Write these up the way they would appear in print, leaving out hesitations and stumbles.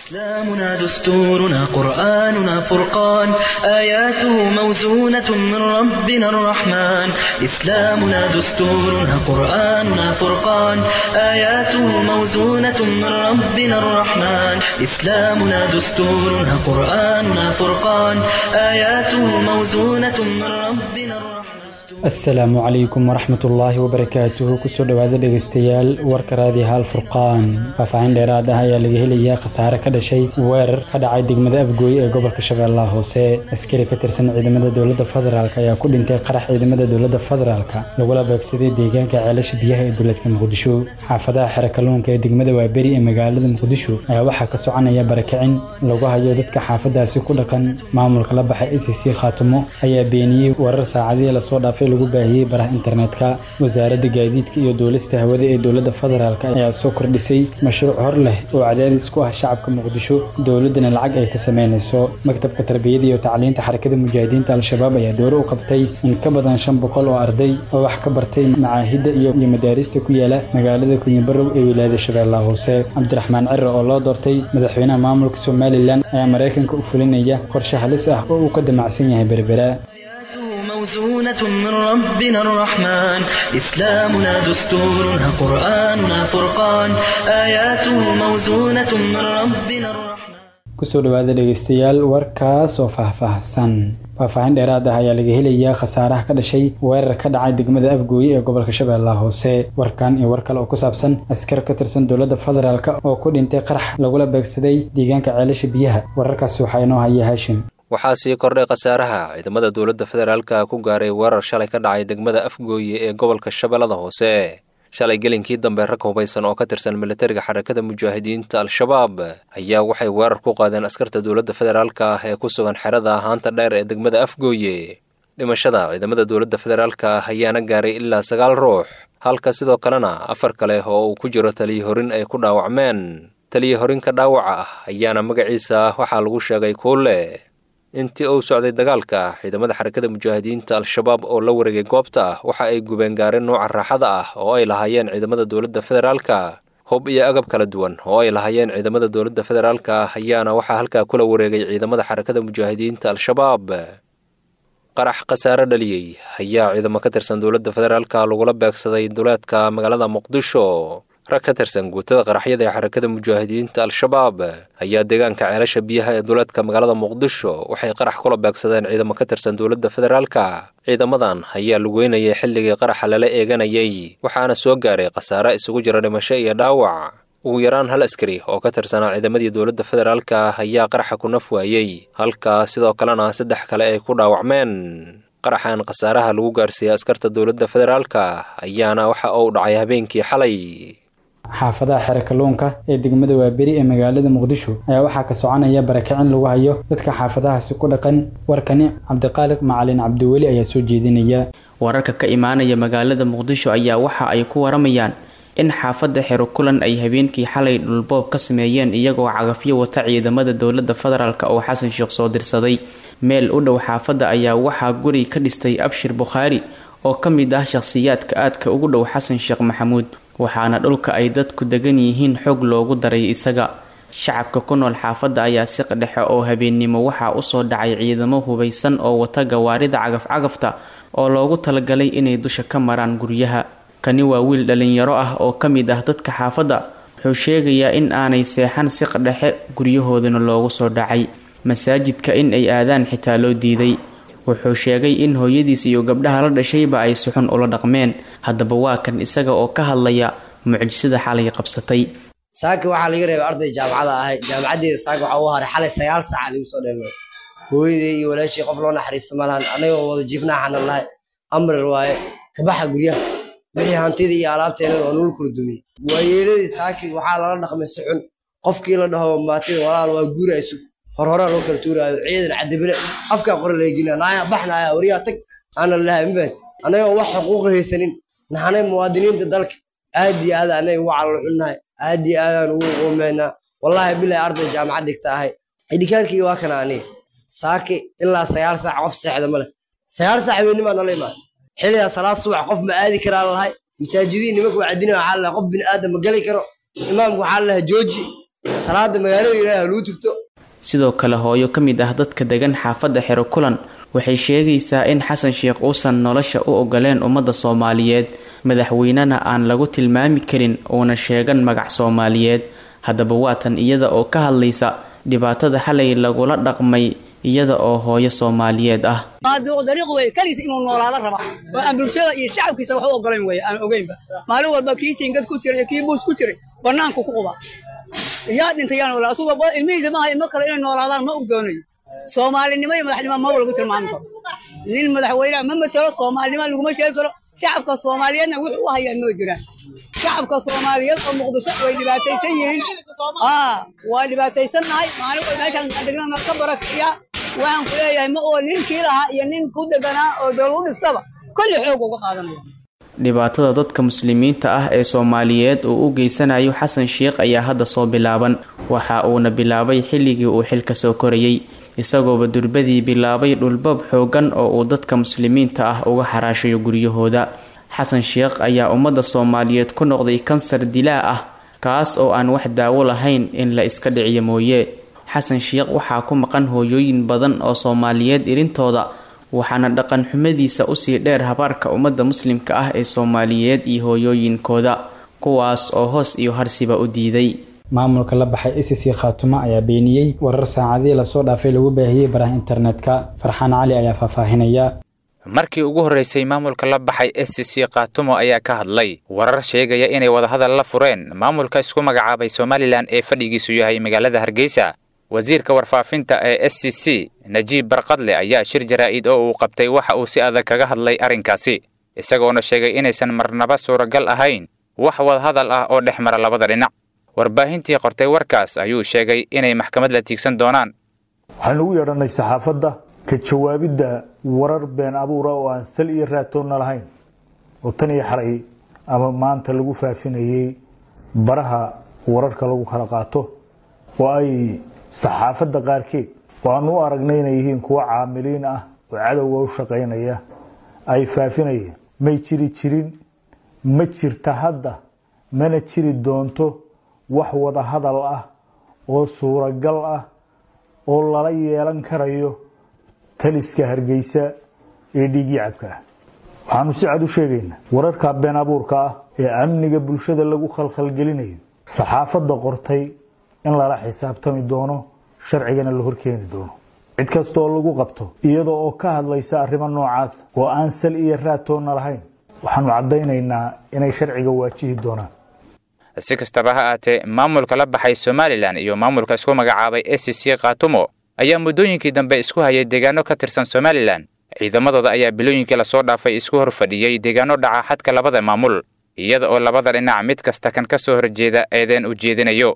إسلامنا دستورنا قرآننا فرقان آياته موزونة من ربنا الرحمن إسلامنا دستورنا قرآننا فرقان آياته موزونة من ربنا الرحمن إسلامنا دستورنا قرآننا فرقان آياته موزونة من ربنا الرحمن. Asalaamu calaykum waraxmatullaahi wabarakaatuhu. Kusoo dhawaada dhegeystayaal warka raadiyaha Alfurqaan. Faahfaahin dheeraad ah ayaa laga helayaa khasaare ka dhashay weerar ka dhacay degmada Afgooye ee gobolka Shabeellaha Hoose. Askari ka tirsan ciidamada dowladda federaalk ayaa ku dhintay qarax ciidamada dowladda federaalka lagula beegsaday deegaanka Ceelasha Biyaha ee dowladka Muqdisho. Xaafadaha Xero Kalluunka ee degmada Waaberi ee magaalada Muqdisho ayaa waxaa ka soconaya barakicin lagu hayo dadka xaafadaasi ku dhaqan. Maamulka la baxay ACC Khaatumo ayaa beeniyey warar saacadihii lasoo dhaafay lagu baahiyey baraha internetka. Wasaaradda gaadiidka iyo duulista hawada ee dowladda federaalk ayaa soo kordhisay mashruuc hor leh oo cadaadis ku ah shacabka Muqdisho, dowladdana lacag ay ka sameynayso. Maktabka tarbiyada iyo tacliinta Xarakada Mujaahidiinta Al-Shabaab ayaa dooro u qabtay in ka badan 500 oo arday oo wax ka bartay macaahidda iyo madaarista ku yaala magaalada Kunyibarow ee wilaayada Shabeellaha Hoose. Cabdiraxmaan Cire oo loo doortay madaxweynaha maamulka Somalilan ayaa Maraykanka u fulinaya qorshe halis ah oo uu ka damacsan yahay Berbera. موزونة من ربنا الرحمن إسلامنا دستورنا قرآننا فرقان آياته موزونة من ربنا الرحمن. Kusoo dhawaada dhegeystayaal warkaas oo faahfaahsan. Faahfaahin dheeraad ah ayaa laga helayaa khasaaraha ka dhashay weerar ka dhacay degmada Afgooye ee gobolka Shabeellaha Hoose. Warkan iyo war kale oo ku saabsan askar ka tirsan dowladda federaalk oo ku dhintay qarax lagula beegsaday deegaanka Ceelasha Biyaha, wararkaas waxaa inoo haya Haashim. Waxaa sii kordhay khasaaraha ciidamada dowladda federaalka ku gaaray weerar shalay ka dhacay degmada Afgooye ee gobolka Shabeellada Hoose. Shalay gelinkii dambe rag hubaysan oo ka tirsan militariga Xarakada Mujaahidiinta Al-Shabaab ayaa waxay weerar ku qaadeen askarta dowladda federaalka ah ee ku sugan xerada Haanta Dheer ee degmada Afgooye. Dhimashada ciidamada dowladda federaalka ayaana gaaray ilaa 9 ruux, halka sidoo kalena 4 kale oo uu ku jiro taliye horin ay ku dhaawacmeen. Taliye horinka dhaawaca ah ayaana magaciisa waxaa lagu sheegay Kuule. Intii uu socday dagaalka, ciidamada Xarakada Mujaahidiinta Al-Shabaab oo la wareegay goobta waxa ay gubeen gaareen nooca raaxada ah oo ay lahaayeen ciidamada dowladda federaalka. Hub iyo agab kala duwan oo ay lahaayeen ciidamada dowladda federaalka ayaana waxaa halkaa kula wareegay ciidamada Xarakada Mujaahidiinta Al-Shabaab. Qarax khasaare dhaliyey ayaa ciidamo ka tirsan dowladda federaalka lagula beegsaday duleedka magaalada Muqdisho. Rag ka tirsan guutada qaraxyada ee Xarakada Mujaahidiinta Al-Shabaab ayaa deegaanka Ceelasha Biyaha ee duleedka magaalada Muqdisho waxay qarax kula beegsadeen ciidamo ka tirsan dowladda federaalka. Ciidamadan ayaa lugeynayay xilligii qaraxa lala eeganayay, waxaana soo gaaray khasaare isugu jira dhimasho iyo dhaawac. Ugu yaraan hal askari oo ka tirsanaa ciidamadii dowladda federaalka ayaa qaraxa ku naf waayey, halka sidoo kalena 3 kale ay ku dhaawacmeen. Qaraxan khasaaraha lagu gaarsiiyey askarta dowladda federaalka ayaana waxa uu dhacay habeenkii xalay. Xaafadaha Xero Kalluunka ee degmada Waaberi ee magaalada Muqdisho ayaa waxaa ka soconaya barakicin lagu hayo dadka xaafadahaasi ku dhaqan. Warkani Cabdiqaaliq Macalin Cabdiweli ayaa soo jeedinaya. Wararka ka imaanaya magaalada Muqdisho ayaa waxa ay ku waramayaan in xaafadda Xero Kulan ay habeenkii xalay dhulboob ka sameeyeen iyagoo cagafyo wata ciidamada dowladda federaalk oo Xasan Sheekh soo dirsaday. Meel u dhow xaafadda ayaa waxaa guri ka dhistay Abshir Bukhaari oo ka mid ah shakhsiyaadka aadka ugu dhow Xasan Sheekh Maxamuud, waxaana dhulka ay dadku degan yihiin xog loogu daray isaga. Shacabka ku nool xaafadda ayaa si dhexe oo habeennimo waxaa usoo dhacay ciidamo hubaysan oo wata gawaarida cagaf-cagafta oo loogu talagalay inay dusha ka maraan guryaha. Kani waa wiil dhalinyaro ah oo ka mid ah dadka xaafadda, wuxuu sheegayaa in aanay seexan siq dhexe, guryahoodana loogu soo dhacay, masaajidka in ay aadaan xitaa loo diiday. Wuxuu sheegay in hooyadiis iyo gabdhaha la dhashayba ay si xun ula dhaqmeen. Haddaba waa kan isaga oo ka hadlaya mucjisada xalay qabsatay. Saaki waxaa laga reebay arday jaamacada ahay, jaamacaddeeda saaki waxaa u haray xalay 9 saac lagu soo dheelmay. Hooyaday iyo walaashii qof loo naxariisto ma lahan, anagoo wada jiifnaa xanan lahay amrir waaye kabaxa guryaha wixii hantida iyo alaabteena waa nul kala dumiyey. Waayeeladii saaki waxaa lala dhaqmay si xun, qofkii la dhaho maatida walaal waa guura isug horhoraa loo kala tuuraayo, ciidan cadibile afkaa qore laga naaya baxnaaya wariyaa tag ana lahay mafahant. Anagoo wax xuquuq haysanin naxanay muwaadiniinta dalka aad iyo aad anay ugu calal xunnahay, aad iyo aadaan ugu qoomeynaa. Wallaahi bilahi arday jaamacad dhigta ahay, idhikaankii waa kana aniga saaki ilaa 9 saac qof seexda male. 9 saac habeennimaa nala imaada, xilligaa salaad subax qof ma aadi karaa lalahay. Masaajidiin nimanka wacdina waxaa lalahay qof bini aadam ma geli karo, imaamka waxaa lalahay jooji. Salaada magaalada Ilaahay ha lagu tugto. Sidoo kale hooyo ka mid ah dadka degan xaafadda Xero Kulan waxay sheegaysaa in Xasan Sheekh uusan nolosha u ogoleen ummadda Soomaaliyeed, madaxweynena aan lagu tilmaami karin uuna sheegan magac Soomaaliyeed. Haddaba waatan iyada oo ka hadlaysa dhibaatada xalay lagula dhaqmay iyada oo hooyo Soomaaliyeed ah. Dariiq wey kaligiis inuu noolaado raba oo aan bulshada iyo shacabkiisa wax u ogolayn wey aan ogeynba. Maalin walba kii jiingad ku jiray iyo kii buus ku jiray bannaanku ku quba. Yaa dhintay yaa noolaa, asuga ilmihiisa maaha ilmo kale inay noolaadaan ma u doonayo. Soomaalinimo iyo madaxnimo ma lagu tilmaami karo. Nin madaxweynaha ma matalo, Soomaalinimo laguma sheegi karo. Shacabka Soomaaliyeedna wuxuu u hayaa ma jiraan. Shacabka Soomaaliyeed oo Muqdisho way dhibaataysan yihiin. Waa dhibaataysannahay. Maalin walba meeshaan degnana ka barakiya. Waxaan ku leeyahay ma oo ninkii lahaa iyo nin ku deganaa oo dowlad u dhistaba kulli xoog uga qaadanaya. Dhibaatada dadka muslimiinta ah ee Soomaaliyeed uu u geysanayo Xasan Sheekh ayaa hadda soo bilaaban. Waxa uuna bilaabay xilligii uu xilka soo korayay, isagooba durbadii bilaabay dhulbab xoogan oo uu dadka muslimiinta ah uga xaraashayo guryahooda. Xasan Sheekh ayaa ummadda Soomaaliyeed ku noqday kansar dilaa ah, kaas oo aan wax daawo lahayn in la iska dhiciyo mooye. Xasan Sheekh waxaa ku maqan hooyooyin badan oo Soomaaliyeed irintooda, waxaana dhaqan xumadiisa usii dheer habaarka ummadda muslimka ah ee Soomaaliyeed iyo hooyooyinkooda, kuwaas oo hoos iyo harsiba u diiday. Maamulka la baxay ACC Khaatuma ayaa beeniyey warar saacadihii lasoo dhaafay lagu baahiyey baraha internetka. Farxaan Cali ayaa faahfaahinaya. Markii ugu horreysay maamulka la baxay SCC Khaatumo ayaa ka hadlay warar sheegaya inay wadahadal la fureen maamulka isku magacaabay Somalilan ee fadhigiisu yahay magaalada Hargeysa. Wasiirka warfaafinta ee SCC Najiib Barqadle ayaa shir jaraa'id oo uu qabtay waxa uu si adag kaga hadlay arrinkaasi, isagoona sheegay inaysan marnaba suuragal ahayn wax wadahadal ah oo dhex mara labada dhinac. Warbaahintii qortay warkaas ayuu sheegay inay maxkamad la tiigsan doonaan. Waxaan ugu yeedhanay saxaafadda ka jawaabidda warar been abuura oo aan sal iyo raatoonna lahayn oo tan iyo xalay ama maanta lagu faafinayey baraha wararka lagu kala qaato, oo ay saxaafadda qaarkeed oo aan u aragnay inay yihiin kuwo caamiliin ah oo cadowga u shaqaynaya ay faafinayeen. May jiri jirin, ma jirta hadda, mana jiri doonto wax wada hadal ah oo suuragal ah oo lala yeelan karayo taliska Hargeysa ee dhiiggii cabka ah. Waxaanu si cad u sheegaynaa wararka been abuurka ah ee amniga bulshada lagu khalkhalgelinayo saxaafadda qortay in lala xisaabtami doono, sharcigana la horkeeni doono. Cid kasta oo lagu qabto iyada oo ka hadlaysa arrimo noocaas oo aan sal iyo raatoonna lahayn, waxaanu caddaynaynaa inay sharciga waajihi doonaan. Si kastaba ha aatee, maamulka la baxay Somalilan iyo maamulka isku magacaabay SCC Khaatumo ayaa muddooyinkii dambe isku hayay deegaano ka tirsan Somalilan. Ciidamadooda ayaa bilooyinkii lasoo dhaafay isku hor fadhiyey deegaano dhaca xadka labada maamul, iyada oo labada dhinac mid kasta kan ka soo horjeeda eedeen u jeedinayo.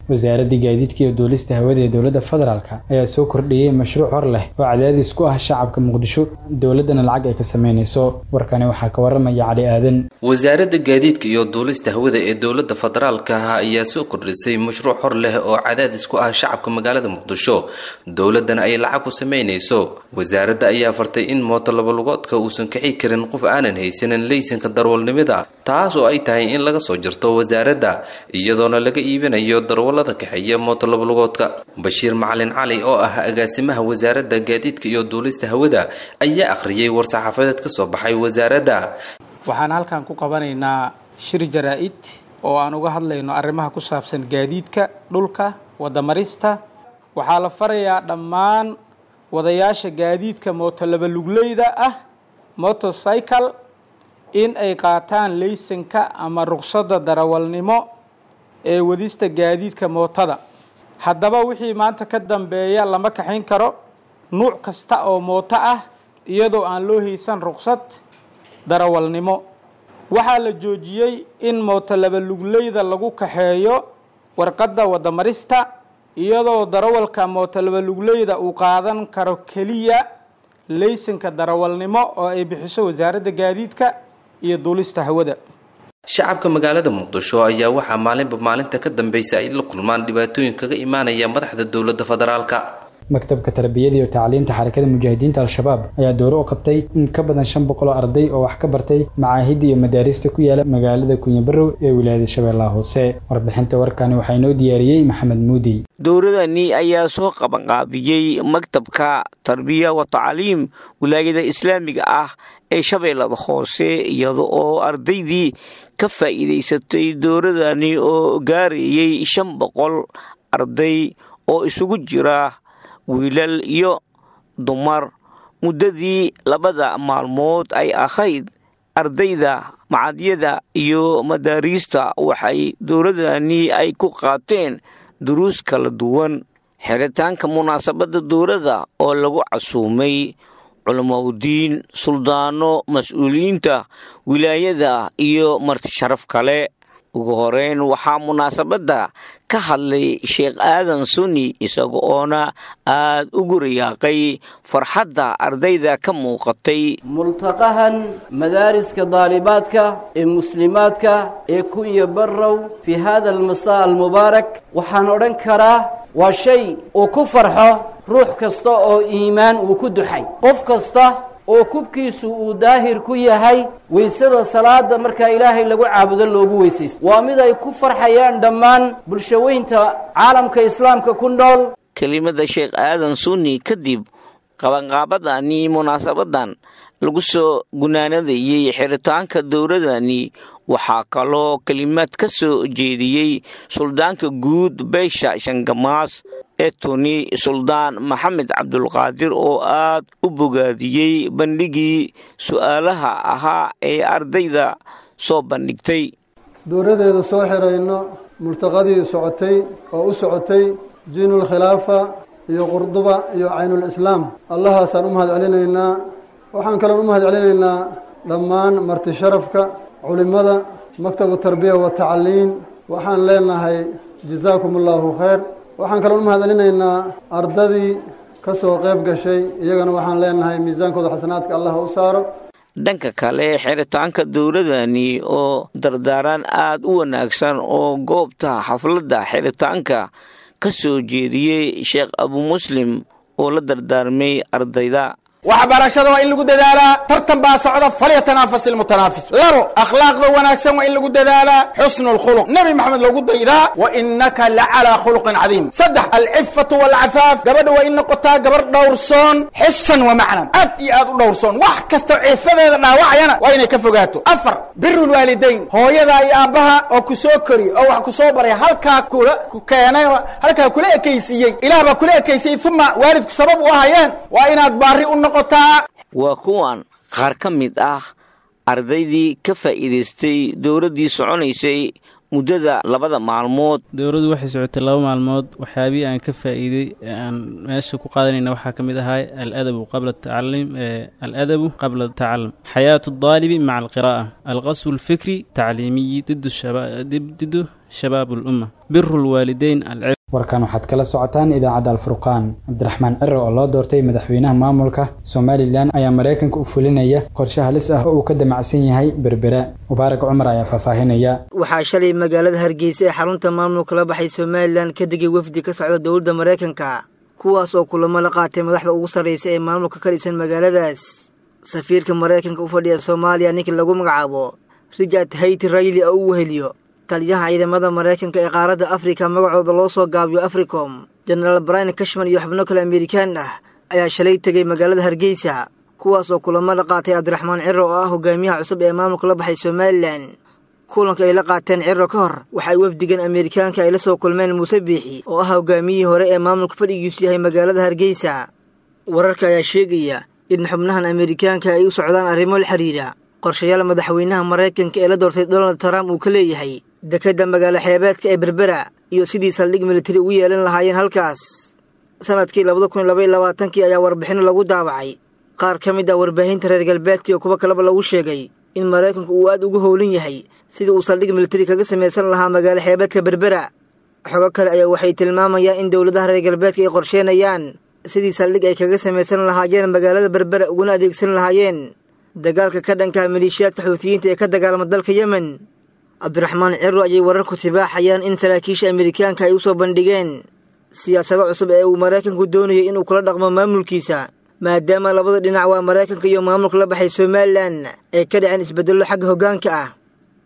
Wasaaradda gaadiidka iyo duulista hawada ee dowladda federaalka ayaa soo kordhiyey mashruuc hor leh oo cadaadis ku ah shacabka Muqdisho, dowladdana lacag ay ka sameynayso. Warkani waxaa ka waramaya Cali Aadan. Wasaaradda gaadiidka iyo duulista hawada ee dowladda federaalka ayaa soo kordhisay mashruuc hor leh oo cadaadis ku ah shacabka magaalada Muqdisho, dowladdana ay lacag ku sameynayso. Wasaaradda ayaa fartay in mooto labalugoodka uusan kici karin qof aanan haysanin leysanka darwalnimada, taas oo ay tahay in laga soo jirto wasaaradda, iyadoona laga iibinayo darwalada kaxeeya mooto labalugoodka. Bashiir Macalin Cali oo ah agaasimaha wasaaradda gaadiidka iyo duulista hawada ayaa akhriyay war-saxaafadeed ka soo baxay wasaaradda. Waxaan halkan ku qabanaynaa shir jaraa'id oo aan uga hadlayno arrimaha ku saabsan gaadiidka dhulka wadamarista. Waxaa la farayaa dhammaan wadayaasha gaadiidka mooto labalugleyda ah, motorcycle, in ay qaataan leysanka ama ruqsadda darawalnimo ee wadista gaadiidka mootada. Haddaba wixii maanta ka dambeeya lama kaxayn karo nuuc kasta oo mooto ah iyadoo aan loo haysan ruqsad darawalnimo. Waxaa la joojiyey in mooto labalugleyda lagu kaxeeyo warqadda wadamarista, iyadoo darawalka mooto labalugleyda uu qaadan karo keliya leysanka darawalnimo oo ay bixiso wasaaradda gaadiidka iyo duulista hawada. Shacabka magaalada Muqdisho ayaa waxaa maalinba maalinta ka dambeysa ay la kulmaan dhibaatooyin kaga imaanaya madaxda dowladda federaalka. Maktabka Tarbiyada iyo Tacliinta Xarakada Mujaahidiinta Al-Shabaab ayaa dooro u qabtay in ka badan 500 oo arday oo wax ka bartay macaahidda iyo madaarista ku yaala magaalada Kunyabarow ee wilaayada Shabeellaha Hoose. Warbixinta warkani waxaa inoo diyaariyey Maxamed Muudi. Dowladani ayaa soo qabanqaabiyey maktabka tarbiya wa tacliim wilaayada islaamiga ah ee Shabeellada Hoose, iyada oo ardaydii ka faa'iidaysatay dowladani oo gaarayay 500 arday oo isugu jira wiilal iyo dumar muddadii labada maalmood ay ahayd. Ardayda macadyada iyo madaariista waxay dowladani ay ku qaateen duruus kala duwan. Xiritaanka munaasabadda dowladda oo lagu casuumay culamaudiin, suldaano, mas-uuliyiinta wilaayada iyo marti sharaf kale. Ugu horeyn waxaa munaasabadda ka hadlay Sheekh Aadan Sunni, isaga oona aad ugu riyaaqay farxadda ardayda ka muuqatay. Multaqahan madaariska daalibaadka ee muslimaadka ee Kunya Barrow fii hada almasaa almubaarak, waxaan odhan karaa waa shay uu ku farxo ruux kasta oo iimaan uu ku duxay, qof kasta oo kubkiisu uu daahir ku yahay weysada salaada markaa Ilaahay lagu caabudo loogu weysaysto. Waa mid ay ku farxayaan dhammaan bulshaweynta caalamka islaamka ku nool. Kelimada Sheekh Aadan Sunni kadib, qabanqaabadani munaasabadan lagu soo gunaanadayey xiritaanka dowladani waxaa kaloo kelimaad ka soo jeediyey suldaanka guud beesha Shangamaas ee Tuni, Suldaan Maxamed Cabdulqaadir, oo aad u bogaadiyey bandhigii su'aalaha ahaa ee ardayda soo bandhigtay. Dowladeeda soo xirayno multaqadii socotay oo u socotay Jiinul Khilaafa iyo Qurduba iyo Caynul Islaam, Allahaasaan u mahad celinaynaa. Waxaan kaloon u mahad celinaynaa dhammaan marti sharafka, culimmada, maktabu tarbiya wa tacliin. Waxaan leenahay jazaakum Allahu khayr. Waxaan kaloon u mahad celinaynaa ardadii ka soo qayb gashay, iyagana waxaan leenahay miisaankooda xasanaadka Allah u saaro. Dhanka kale, xiritaanka dowladani oo dardaaran aad u wanaagsan oo goobta xafladda xiritaanka ka soo jeediyey Sheekh Abu Muslim oo la dardaarmay ardayda. Waxbarashada waa in lagu dadaalaa, tartan baa socda, falyatanaafaس ilmutanaafis. Labo, akhlaaqda wanaagsan waa in lagu dadaalaa, xusnu lkhuluq, Nebi Maxamed loogu daydaa, wa innaka la calaa khuluqin cadiim. Saddex, alcifatu walcafaaf, gabadha waa in noqotaa gabarh dhowrsoon, xisan wa macnan, aad iyo aad u dhowrsoon, wax kasta cifadeeda dhaawacayana waa inay ka fogaato. Afar, biru lwaalidayn, hooyadaa iyo aabbaha oo ku soo koriy oo wax ku soo baray, halkaa kula ku keenay, halkaa kula ekaysiiyey, Ilaah baa kula ekaysiyey, uma waalidku sabab u ahayeen, waa inaad baari u noqoto. Waa kuwan qaar ka mid ah ardaydii ka faa'iidaystay dowladdii soconaysay muddada labada maalmood. Dowladdu waxay socotay 2 maalmood. Waxyaabihii aan ka faa'iiday ee aan meesha ku qaadanayna waxaa ka mid ahay aladabu qabla tacalum, aladabu qabla tacallum, xayaatu daalibi maca alqiraa'a, alqaswu alfikri tacliimiyi didu shabaab alumma, biru lwaalideyn. Warkan waxaad kala socotaan idaacadda Alfurqaan. Cabdiraxmaan Ciro oo loo doortay madaxweynaha maamulka Somalilan ayaa Maraykanka u fulinaya qorshe halis ah oo uu ka damacsan yahay Berbera. Mubaarak Cumar ayaa faahfaahinaya. Waxaa shalay magaalada Hargeysa ee xarunta maamulka la baxay Somalilan ka degay wafdi ka socda dowladda Maraykanka, kuwaas oo kulamo la qaatay madaxda ugu sarreysa ee maamulka ka dhisan magaaladaas. Safiirka Maraykanka u fadhiya Soomaaliya ninka lagu magacaabo Richard Hayti Rayli oo u weheliyo taliyaha ciidamada Maraykanka ee qaaradda Afrika magacooda loo soo gaabiyo Africom, Jenaraal Brian Cashman, iyo xubno kale Amerikaan ah ayaa shalay tegay magaalada Hargeysa, kuwaas oo kulamo la qaatay Cabdiraxmaan Ciro oo ah hogaamiyaha cusub ee maamulka la baxay Somalilan. Kulanka ay la qaateen Ciro ka hor waxa ay wafdigan Amerikaanka ay la soo kulmeen Muuse Biixi oo ah hogaamiyihii hore ee maamulka fadhigiisu yahay magaalada Hargeysa. Wararka ayaa sheegaya in xubnahan Amerikaanka ay u socdaan arrimo la xiriira qorshayaal madaxweynaha Maraykanka ee la doortay Donald Trump uu ka leeyahay dekedda magaalo xeebeedka ee Berbera iyo sidii saldhig militari ugu yeelan lahaayeen halkaas. Sanadkii 2022 ayaa warbixino lagu daabacay qaar ka mid ah warbaahinta reer galbeedka iyo kuwo kaleba lagu sheegay in Maraykanku uu aad ugu howlan yahay sidii uu saldhig militari kaga samaysan lahaa magaalo xeebeedka Berbera. Xogo kale ayaa waxay tilmaamayaan in dowladaha reer galbeedka ay qorsheenayaan sidii saldhig ay kaga samaysan lahaayeen magaalada Berbera uguna adeegsan lahaayeen dagaalka ka dhanka maleeshiyaadka Xuutiyiinta ee ka dagaalama dalka Yemen. Cabdiraxmaan Ciro ayay wararku tibaaxayaan in saraakiisha Amerikaanka ay u soo bandhigeen Siyaasado cusub ee uu Maraykanku doonayo inuu kula dhaqmo maamulkiisa, maadaama labada dhinac waa Maraykanka iyo maamulka la baxay Somalilan ay ka dhaceen isbeddello xagga hoggaanka ah.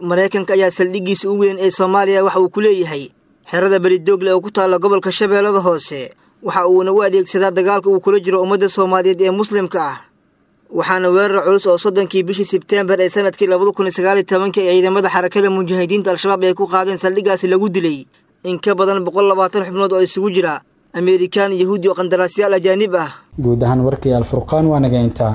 Maraykanka ayaa saldhiggiisa ugu weyn ee Soomaaliya waxa uu ku leeyahay xerada Belidoogle oo ku taalla gobolka Shabeellada Hoose, waxa uuna u adeegsadaa dagaalka uu kula jiro ummadda Soomaaliyeed ee muslimka ah. Waxaana weerar culus oo 30kii bishii Sebteembar ee sanadkii 2019kii ay ciidamada Xarakada Mujaahidiinta Al-Shabaab ay ku qaadeen saldhiggaasi lagu dilay in ka badan 120 xubnood oo isugu jira Ameerikaan, Yahuudi oo qandaraasyaal ajaanib ah. Guud ahaan warkii Alfurqaan waa naga intaa.